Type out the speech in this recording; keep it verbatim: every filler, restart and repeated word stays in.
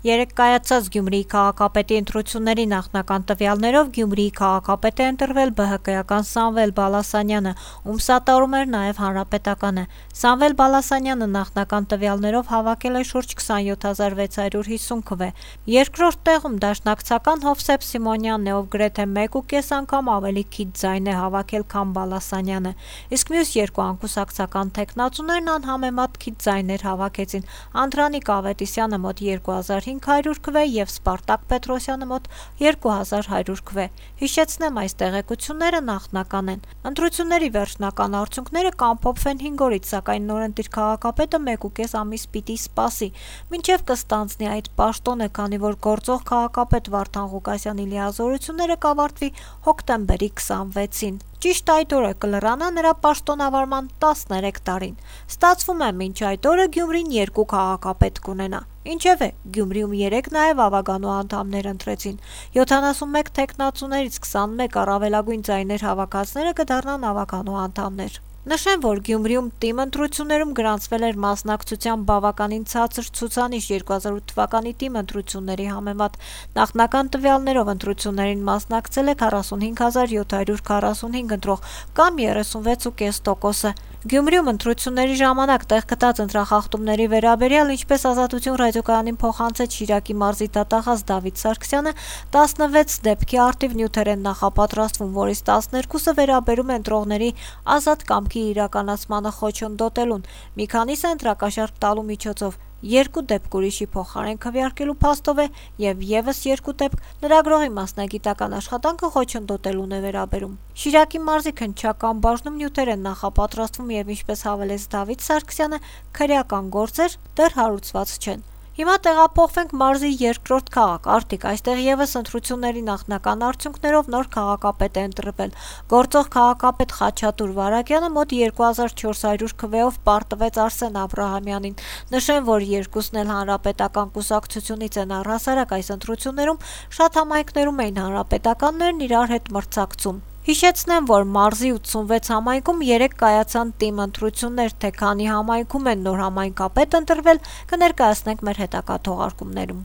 Երեկ կայացած Գյումրիի քաղաքապետի ընտրությունների նախնական տվյալներով Գյումրիի քաղաքապետ է ընտրվել ԲՀԿ-ական Սամվել Բալասանյանը, ում սատարում էր նաև Հանրապետականը։ Սամվել Բալասանյանը նախնական տվյալներով հավաքել է շուրջ քսանյոթ հազար վեց հարյուր հիսուն քվե։ Երկրորդ տեղում դաշնակցական Հովսեփ Սիմոնյանն է, ով գրեթե մեկ ու կես անգամ ավելի քիչ ձայն է հավաքել, քան Բալասանյանը, իսկ մյուս երկու անկուսակցական թեկնածուներն անհամեմատ քիչ ձայներ հավաքեցին՝ Անդրանիկ Ավետիսյանը մոտ երկու հազար հինգ հարյուր քվե և Սպարտակ Պետրոսյանը մոտ երկու հազար հարյուր քվե։ Հիշեցնեմ, այս տեղեկությունները նախնական են։ Ընտրությունների վերջնական արդյունքները կամփոփվեն հինգ օրից, սակայն նորընտիր քաղաքապետը մեկ ու կես ամիս պիտի սպասի, մինչև կստանձնի այդ պաշտոնը, քանի որ գործող քաղաքապետ Վարդան Ղուկասյանի լիազորությունները կավարտվի հոկտեմբերի քսանվեցին։ Ճիշտ այդ օրը կլրանա նրա պաշտոնավարման տասներեք տարին։ Ստացվում է, մինչ այդ օրը Գյումրին երկու քաղաքապետ կունենա։ Ինչևէ, Գյումրիում երեկ նաև ավագանու անդամներ ընտրեցին։ յոթանասունմեկ թեկնածուներից քսանմեկ առավելագույն ձայներ հավաքածները կդառնան ավագանու անդամներ։ Նշեմ, որ Գյումրիում ՏԻՄ ընտրություններում գրանցվել էր մասնակցության բավականին ցածր ցուցանիշ երկու հազար ութ թվականի ՏԻՄ ընտրությունների համեմատ։ Նախնական տվյալներով ընտրություններին մասնակցել է քառասունհինգ հազար յոթ հարյուր քառասունհինգ ընտրող, կամ երեսունվեց ու կես տոկոսը։ Գյումրիում ընտրությունների ժամանակ տեղ գտած ընտրախախտումների վերաբերյալ, ինչպես Ազատություն ռադիոկայանին փոխանցեց Շիրակի մարզի դատախազ Դավիթ Սարգսյանը, տասնվեց դեպքի առթիվ նյութեր են նախապատրաստվում, որից տասներկուսը վերաբերում են ընտրողների ազատ կամքի իրականացմանը խոչընդոտելուն, մի քանիսը ընտրակաշառք տալու միջոցով, երկու դեպք ուրիշի փոխարեն քվեարկելու փաստով է և ևս երկու դեպք լրագրողի մասնագիտական աշխատանքը խոչընդոտելուն է վերաբերում։ Շիրակի մարզի քննչական բաժնում նյութեր են նախապատրաստվում և, ինչպես հավելեց Դավիթ Սարգսյանը, քրեական գործեր դեռ հարուցված չեն։ Հիմա տեղափոխվենք մարզի երկրորդ քաղաք Արտիկ, այստեղ ևս ընտրությունների նախնական արդյունքներով նոր քաղաքապետ է ընտրվել։ Գործող քաղաքապետ Խաչատուր Վարագյանը մոտ երկու հազար չորս հարյուր քվեով պարտվեց Արսեն Աբրահամյանին։ Նշեմ, որ երկուսն էլ հանրապետական կուսակցությունից են առհասարակ այս ընտրություններում շատ համայնքներում էին հանրապետականներն իրար հետ մրցակցում։ Հիշեցնեմ, որ մարզի ութսունվեց համայնքում երեկ կայացան ՏԻՄ ընտրություններ, թե քանի համայնքում են նոր համայնքապետ ընտրվել, կներկայացնենք մեր հետագա թողարկումներում։